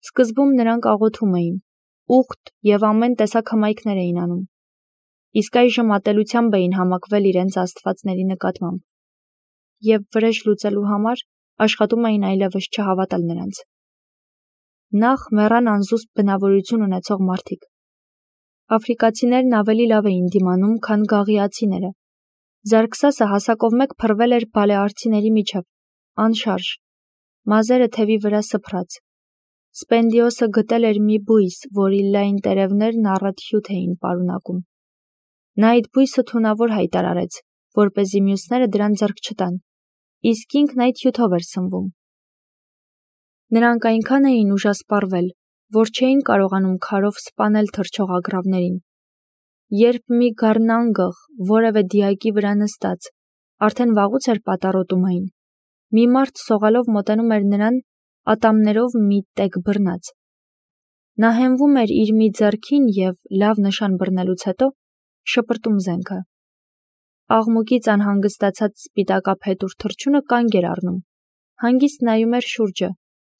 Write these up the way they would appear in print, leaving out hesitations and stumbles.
Սկզբում նրանք աղոթում էին, ուխտ և ամեն տեսակ հմայքներ էին անում, իսկ այժմ ատելությամբ էին համակվել իրենց աստվածների նկատմամբ և վրեժ լուծելու համար աշխատում էին այլևս չհավատալ նրանց։ Նախ մեռան անզուսպ բնավորություն ունեցող մարդիկ։ Աֆրիկացիներն ավելի լավ էին դիմանում, քան գաղիացիները։ Զարգսասը հասակով մեկ փռվել էր բալեարցիների միջև, անշարժ, մազերը թևի վրա սփռած։ Սպենդիոսը գտել էր մի բույս, որի լայն տերևներն առատ հյութ էին պարունակում։ Նա այդ բույսը թունավոր հայտարարեց, որպեսզի մյուսները դրան ձեռք չտան, իսկ ինքն այդ հյութով էր սնվում։ Նրանք այնքան էին ուժասպառվել, որ չէին կարողանում քարով սպանել թռչող ագռավներին։ Երբ մի գառնանգղ, որևէ դիակի վրա նստած, արդեն վաղուց էր պատառոտում այն, մի մարդ սողալով մոտենում էր նրան ատամներով մի տեկ բռնած։ Նա հենվում էր իր մի ձեռքին և, լավ նշան բռնելուց հետո, շպրտում զենքը։ Աղմուկից անհանգստացած սպիտակափետուր թռչունը կանգ էր առնում, հանգիստ նայում էր շուրջը,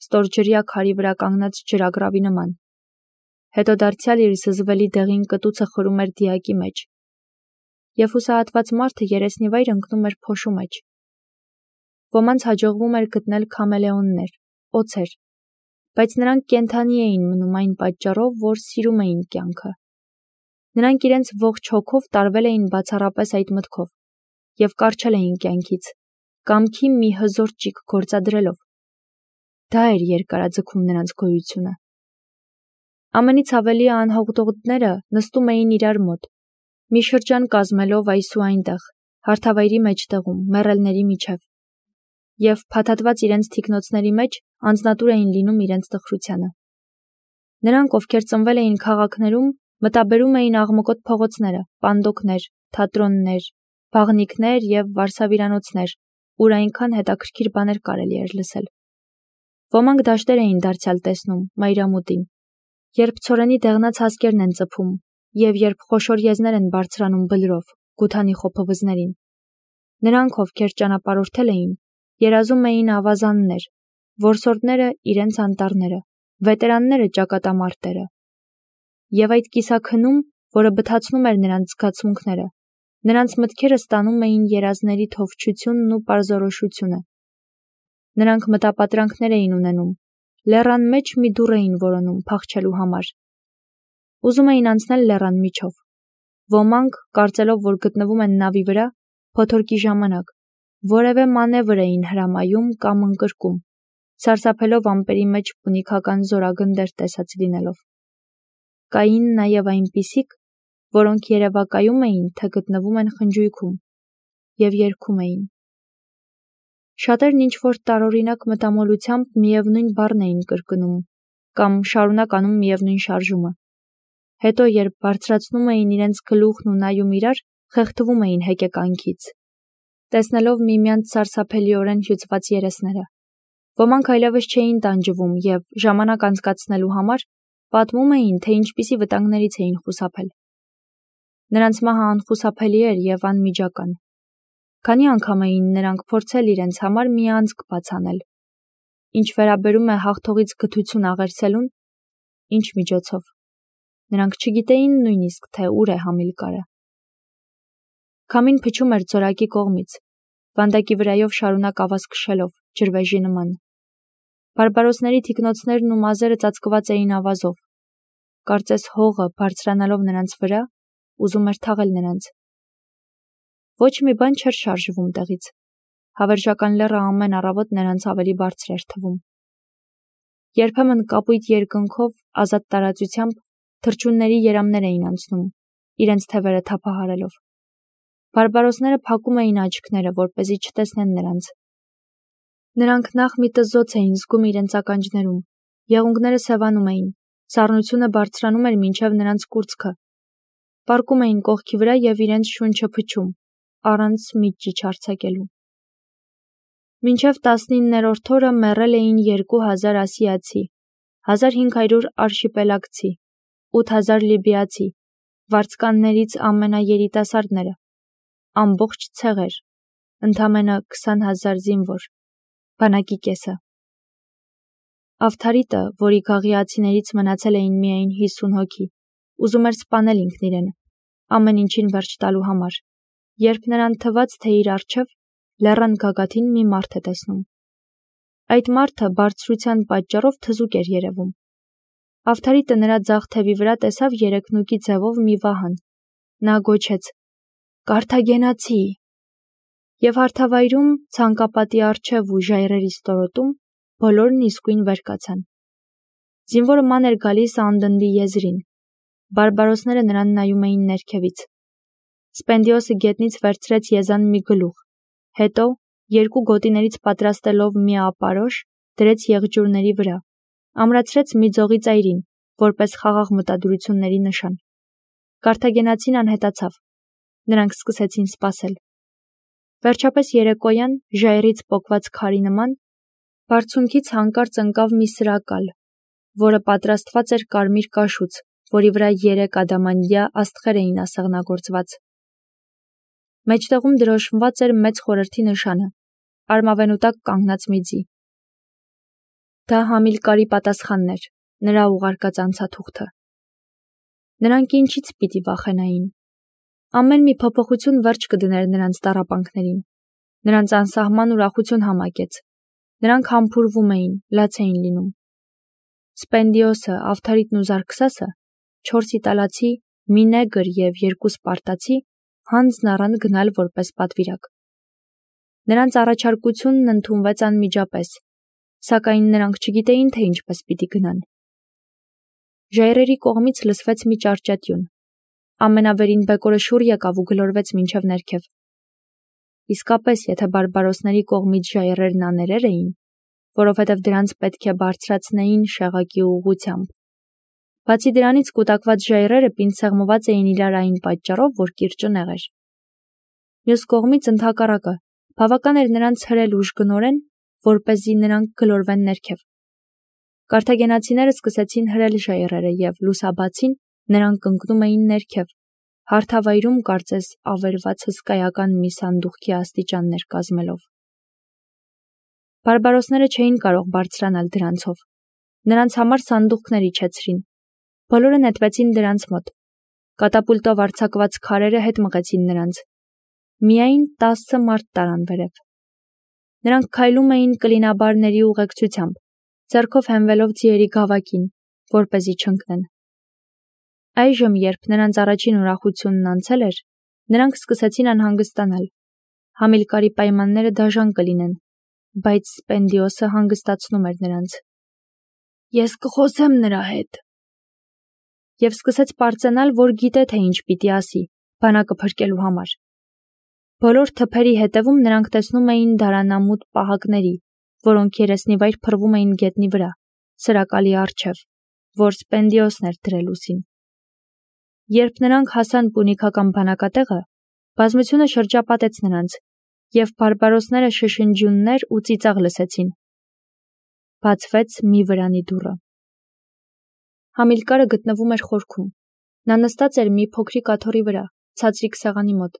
ստորջրյա քարի վրա կանգնած ջրագռավի նման։ Հետո դարձյալ իր զզվելի դեղին կտուցը խրում էր դիակի մեջ, և հուսահատված մարդը երեսնիվայր ընկնում էր փոշու մեջ։ Ոմանց հաջողվում էր գտնել քամելեոններ, օձեր, բայց նրանք կենդանի էին մնում այն պատճառով, որ սիրում էին կյանքը։ Նրանք իրենց ողջ հոգով տարվել էին բացառապես այդ մտքով և կառչել էին կյանքից, կամքի մի հզոր ճիգ գործադրելով։ Դա էր երկարաձգում նրանց գոյությունը։ Ամենից ավելի անհողդողները նստում էին իրար մոտ, մի շրջան կազմելով այս ու այնտեղ, հարթավայրի մեջտեղում, մեռելների միջև, և փաթաթված իրենց թիկնոցների մեջ անձնատուր էին լինում իրենց տխրությանը։ Նրանք, ովքեր ծնվել էին քաղաքներում, մտաբերում էին աղմկոտ փողոցները, պանդոկներ, թատրոններ, բաղնիքներ և վարսավիրանոցներ, ուր այնքան հետաքրքիր բաներ կարելի էր լսել։ Ոմանք դաշտեր էին դարձյալ տեսնում, մայրամուտին, երբ ցորենի դեղնած հասկերն են ծփում և երբ խոշոր եզներ են բարձրանում բլրով, գութանի խոփվզներին։ Նրանք, ովքեր ճանապարհորդել էին, երազում էին ավազաններ, որսորդները իրենց անտառները, վետերանները ճակատամարտերը։ Եվ այդ կիսաքնում, որը բթացնում էր նրանց զգացմունքները, նրանց մտքերը ստանում էին երազների թովչությունն ու պարզորոշությունը։ Նրանք մտապատրանքներ էին ունենում, լեռան մեջ մի դուռ էին որոնում փախչելու համար։ Ուզում էին անցնել լեռան միջով։ Ոմանք, կարծելով, որ գտնվում են նավի վրա, փոթորկի ժամանակ, որևէ մանևր էին հրամայում կամ ընկրկում, սարսափելով ամպերի մեջ պունիքական զորագնդեր տեսած լինելով։ Կային նաև այնպիսիք, որոնք երևակայում էին, թե գտնվում են խնջույքում և երգում էին։ Շատերն ինչ-որ տարօրինակ մտամոլությամբ միևնույն բառն էին կրկնում կամ շարունակ անում միևնույն շարժումը։ Հետո, երբ բարձրացնում էին իրենց գլուխն ու նայում իրար, խեղդվում էին հեկեկանքից, տեսնելով միմյանց սարսափելիորեն հյուծված երեսները։ Ոմանք այլևս չէին տանջվում և, ժամանակ անցկացնելու համար, պատմում էին, թե ինչպիսի վտանգներից էին խուսափել։ Նրանց մահը անխուսափելի էր և անմիջական։ Քանի անգամ էին նրանք փորձել իրենց համար մի անցք բաց անել։ Ինչ վերաբերում է հաղթողից գթություն աղերսելուն, ինչ միջոցով։ Նրանք չգիտեին նույնիսկ, թե ուր է Համիլկարը։ Քամին փչում էր ձորակի կողմից, վանդակի վրայով շարունակ ավազ քշելով, ջրվեժի նման։ Բարբարոսների թիկնոցներն ու մազերը ծածկված էին ավազով։ Կարծես հողը, բարձրանալով նրանց վրա, ուզում էր թաղել նրանց։ Ոչ մի բան չէր շարժվում տեղից։ Հավերժական լեռը ամեն առավոտ նրանց ավելի բարձր էր թվում։ Երբեմն կապույտ երկնքով, ազատ տարածությամբ թռչունների երամներ էին անցնում, իրենց թևերը թափահարելով։ Բարբարոսները փակում էին աչքները, որպեսզի չտեսնեն նրանց։ Նրանք նախ մի տզոց էին զգում իրենց ականջներում, եղունգները սևանում էին, սառնությունը բարձրանում էր մինչև նրանց կուրծքը։ Պառկում էին կողքի վրա և իրենց շունչը փչում, առանց մի ճիչ արձակելու։ Մինչև 19-րդ օրը մեռել էին 2000 ասիացի, 1500 արշիպելագցի, 8000 լիբիացի, վարձկաններից ամենաերիտասարդները, ամբողջ ցեղեր, ընդամենը 20,000 զինվոր, բանակի կեսը։ Ավթարիտը, որի գաղիացիներից մնացել էին միայն 50 հոգի, ուզում էր սպանել ինքն իրեն, ամեն ինչին վերջ տալու համար, երբ նրան թվաց, թե իր առջև լեռան գագաթին մի մարդ է տեսնում։ Այդ մարդը բարձրության պատճառով թզուկ էր երևում։ Ավթարիտը նրա ձախ թևի վրա տեսավ երեքնուկի ձևով մի վահան։ Նա գոչեց. «Կարթագենացի!» Եվ հարթավայրում, ցանկապատի առջև ու ժայռերի ստորոտում բոլորն իսկույն վեր կացան։ Զինվորը ման էր գալիս անդնդի եզրին։ Բարբարոսները նրան նայում էին ներքևից։ Սպենդիոսը գետնից վերցրեց եզան մի գլուխ, հետո, երկու գոտիներից պատրաստելով մի ապարոշ, դրեց եղջյուրների վրա, ամրացրեց մի ձողի ծայրին, որպես խաղաղ մտադրությունների նշան։ Կարթագենացին անհետացավ։ Նրանք սկսեցին սպասել։ Վերջապես երեկոյան, ժայռից պոկված քարի նման, բարձունքից հանկարծ ընկավ մի սրակալ, որը պատրաստված էր կարմիր կաշուց, որի վրա 3 ադամանդյա աստղեր էին ասեղնագործված։ Մեջտեղում դրոշմված էր մեծ խորհրդի նշանը, արմավենու տակ կանգնած մի ձի։ Դա Համիլկարի պատասխանն էր, նրա ուղարկած անցաթուղթը։ Նրանք ինչից պիտի վախենային։ Ամեն մի փոփոխություն վերջ կդներ նրանց տառապանքներին։ Նրանց անսահման ուրախություն համակեց։ Նրանք համբուրվում էին, լաց էին լինում։ Սպենդիոսը, Ավթարիտն ու Զարքսասը, 4 իտալացի, մի նեգր և 2 սպարտացի, հանձն առան գնալ որպես պատվիրակ։ Նրանց առաջարկությունն ընդունվեց անմիջապես, սակայն նրանք չգիտեին, թե ինչպես պիտի գնան։ Ժայռերի կողմից լսվեց մի ճարճատյուն։ Ամենավերին բեկորը շուռ եկավ ու գլորվեց մինչև ներքև։ Իսկապես, եթե բարբարոսների կողմից ժայռերն աներեր էին, որովհետև դրանց պետք է բարձրացնեին շեղակի ուղղությամբ։ Բացի դրանից կուտակված ժայռերը պինդ-սեղմված էին իրար այն պատճառով, որ կիրճը նեղ էր։ Մյուս կողմից ընդհակառակը, բավական էր նրանց հրել ուժգնորեն, որպեսզի նրանք գլորվեն ներքև։ Կարթագենացիները սկսեցին հրել ժայռերը և լուսաբացին նրանք ընկնում էին ներքև, հարթավայրում կարծես ավերված հսկայական մի սանդուղքի աստիճաններ կազմելով։ Բարբարոսները չէին կարող բարձրանալ դրանցով։ Նրանց համար սանդուղքներ իջեցրին։ Բոլորը նետվեցին դրանց մոտ։ Կատապուլտով արձակված քարերը հետ մղեցին նրանց։ Միայն 10 մարդ տարան վերև։ Նրանք քայլում էին կլինաբարների ուղեկցությամբ, ձեռքով հենվելով ձիերի գավակին, որպեսզի չընկնեն։ Այժմ, երբ նրանց առաջին ուրախությունն անցել էր, նրանք սկսեցին անհանգստանալ։ Համիլկարի պայմանները դաժան կլինեն, բայց Սպենդիոսը հանգստացնում էր նրանց։ «Ես կխոսեմ նրա հետ»։ Եվ սկսեց պարծենալ, որ գիտե, թե ինչ պիտի ասի, բանակը փրկելու համար։ Բոլոր թփերի հետևում նրանք տեսնում էին դարանամուտ պահակների, որոնք երեսնիվայր փռվում էին գետնի վրա, սրակալի առջև, որ Սպենդիոսն էր դրել ուսին։ Երբ նրանք հասան պունիկական բանակատեղը, բազմությունը շրջապատեց նրանց, և բարբարոսները շշնջյուններ ու ծիծաղ լսեցին։ Բացվեց մի վրանի դուռը։ Համիլկարը գտնվում էր խորքում։ Նա նստած էր մի փոքրիկ աթոռի վրա, ցածրիկ սեղանի մոտ,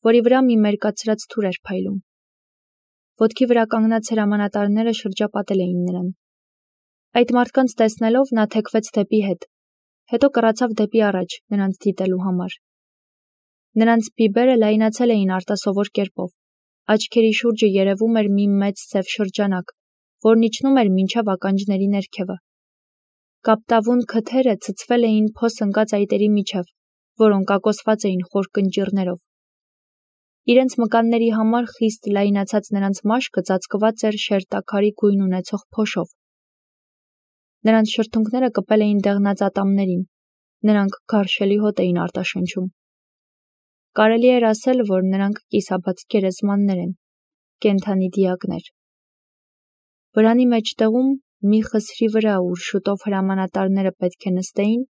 որի վրա մի մերկացրած թուր էր փայլում։ Ոտքի վրա կանգնած հրամանատարները շրջապատել էին նրան։ Այդ մարդկանց տեսնելով նա թեքվեց դեպի հետ, հետո կռացավ դեպի առաջ նրանց դիտելու համար։ Նրանց բիբերը լայնացել էին արտասովոր կերպով, աչքերի շուրջը երևում էր մի մեծ սև շրջանակ, որն իջնում էր մինչև ականջների ներքևը։ Կապտավուն քթերը ցցվել էին փոս ընկած այտերի միջև, որոնք ակոսված էին խոր կնճիռներով։ Իրենց մկանների համար խիստ լայնացած նրանց մաշկը ծածկված էր շերտաքարի գույն ունեցող փոշով։ Նրանց շրթունքները կպել էին դեղնած ատամներին, նրանք գարշելի հոտ էին արտաշնչում։ Կարելի էր ասել, որ նրանք կիսաբաց գերեզմաններ են, կենդանի դիակներ։ Վրանի մեջտեղում, մի խսրի վրա, ուր շուտով հրամանատարները պետք է նստեին,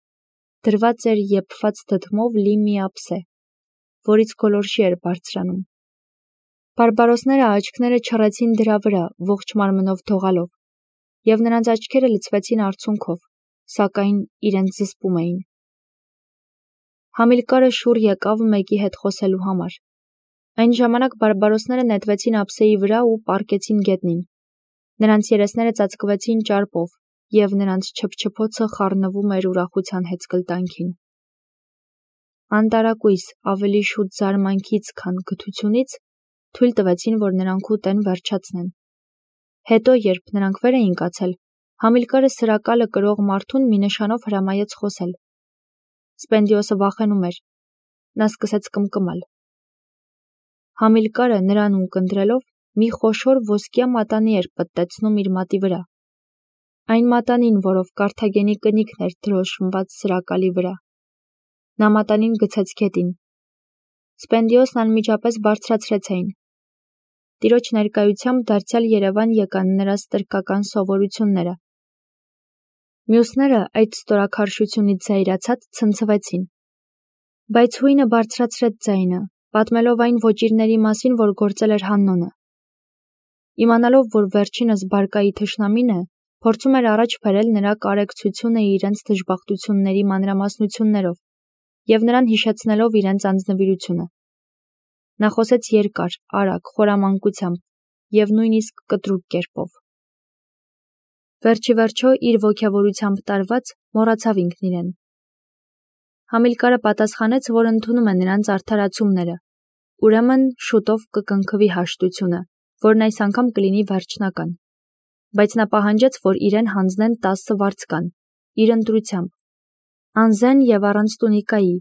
դրված էր եփված դդմով լի մի ափսե, որից գոլորշի էր բարձրանում։ Բարբարոսները աչքները չռեցին դրա վրա, ողջ մարմնով դողալով, և նրանց աչքերը լցվեցին արցունքով, սակայն իրենց զսպում էին։ Համիլկարը շուռ եկավ մեկի հետ խոսելու համար։ Այն ժամանակ բարբարոսները նետվեցին ափսեի վրա ու պառկեցին գետնին։ Նրանց երեսները ծածկվեցին ճարպով, և նրանց չփչփոցը խառնվում էր ուրախության հեծկլտանքին։ Անտարակույս, ավելի շուտ զարմանքից, քան գթությունից, թույլ տվեցին, որ նրանք ուտեն վերջացնեն։ Հետո, երբ նրանք վեր էին կացել, Համիլկարը սրակալը կրող մարդուն մի նշանով հրամայեց խոսել։ Սպենդիոսը վախենում էր։ Նա սկսեց կմկմալ։ Համիլկարը նրան ունկնդրելով մի խոշոր ոսկյա մատանի էր պտտեցնում իր մատի վրա։ Այն մատանին, որով Կարթագենի կնիկն էր դրոշմված սրակալի վրա։ Նա մատանին գցեց գետին։ Սպենդիոսն անմիջապես բարձրացրեց այն։ Տիրոջ ներկայությամբ դարձյալ Երևան եկան նրա ստրկական սովորությունները։ Մյուսները այդ ստորաքարշությունից զայրացած ցնցվեցին։ Բայց հույնը բարձրացրեց ձայնը, պատմելով այն ոճիրների մասին, որ գործել էր Հաննոնը։ Իմանալով, որ վերջինս բարկայի թշնամին է, փորձում էր առաջ բերել նրա կարեկցությունը իրենց դժբախտությունների մանրամասնություններով և նրան հիշեցնելով իրենց անձնվիրությունը։ Նա խոսեց երկար, արագ, խորամանկությամբ և նույնիսկ կտրուկ կերպով։ Վերջի վերջո իր ոգևորությամբ տարված մոռացավ ինքն իրեն։ Համիլկարը պատասխանեց, որ ընդունում է նրանց արդարացումները, ուրեմն շուտով կկնքվի հաշտությունը, որն այս անգամ կլինի վերջնական, բայց նա պահանջեց, որ իրեն հանձնեն 10 վարձկան, իր ընտրությամբ, անզեն և առանց տունիկայի։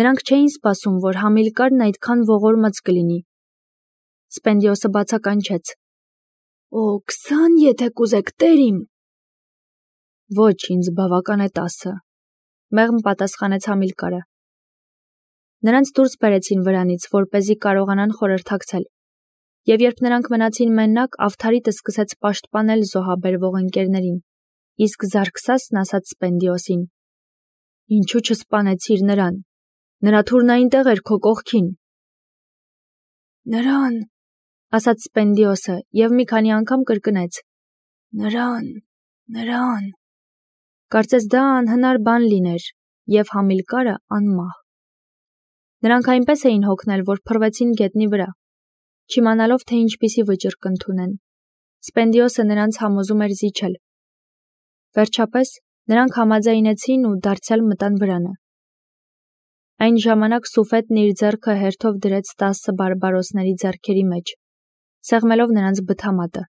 Նրանք չէին սպասում, որ Համիլկարն այդքան ողորմած կլինի։ Սպենդիոսը բացականչեց. «Օ, 20, եթե կուզեք, տեր իմ»։ Ոչ, ինձ բավական է 10, մեղմ պատասխանեց Համիլկարը։ Նրանց դուրս բերեցին վրանից, որպեսզի կարողանան խորհրդակցել։ Եվ երբ նրանք մնացին մենակ, Ավթարիտը սկսեց պաշտպանել զոհաբերվող ընկերներին, իսկ Զարքսասն ասաց Սպենդիոսին. «Ինչու չսպանեցիր նրան։ Նրա թուրն այնտեղ էր քո կողքին»։ «Նրան», ասաց Սպենդիոսը և մի քանի անգամ կրկնեց. «Նրան»։ Կարծես դա անհնար բան լիներ, և Համիլկարը անմահ։ Նրանք այնպես էին հոգնել, որ փռվեցին գետնի վրա, չիմանալով, թե ինչպիսի վճիռ կընդունեն։ Սպենդիոսը նրանց համոզում էր զիջել։ Վերջապես նրանք համաձայնեցին ու դարձյալ մտան վրանը։ Այն ժամանակ Սուֆետն իր ձեռքը հերթով դրեց 10 բարբարոսների ձեռքերի մեջ, սեղմելով նրանց բթամատը։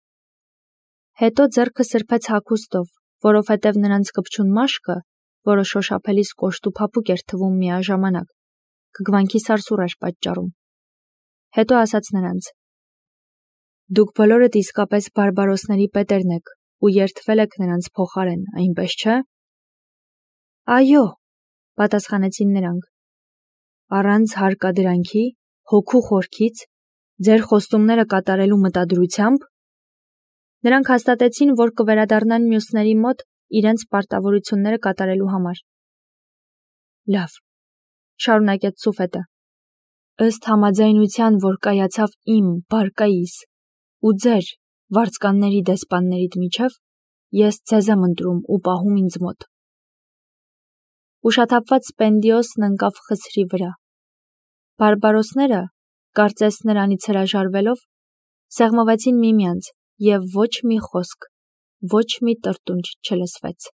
Հետո ձեռքը սրբեց հագուստով, որովհետև նրանց կպչուն մաշկը, որը շոշափելիս կոշտ ու փափուկ էր թվում միաժամանակ, կգվանքի սարսուռ էր պատճառում։ Հետո ասաց նրանց. «Դուք բոլորդ իսկապես բարբարոսների պետերն եք ու երդվել եք նրանց փոխարեն, այնպես չէ»։ «Այո», պատասխանեցին նրանք։ «Առանց հարկադրանքի, հոգու խորքից, ձեր խոստումները կատարելու մտադրությամբ»։ Նրանք հաստատեցին, որ կվերադառնան մյուսների մոտ իրենց պարտավորությունները կատարելու համար։ «Լավ», շարունակեց Սուֆետը, «ըստ համաձայնության, որ կայացավ իմ, Բարկայիս, ու ձեր, վարձկանների դեսպաններիդ միջև, ես ձեզ եմ ընտրում ու պահում ինձ մոտ»։ Ուշաթափված Սպենդիոսն ընկավ խցրի վրա։ Բարբարոսները, կարծես նրանից հրաժարվելով, սեղմվեցին միմյանց, և ոչ մի խոսք, ոչ մի տրտունջ չլսվեց։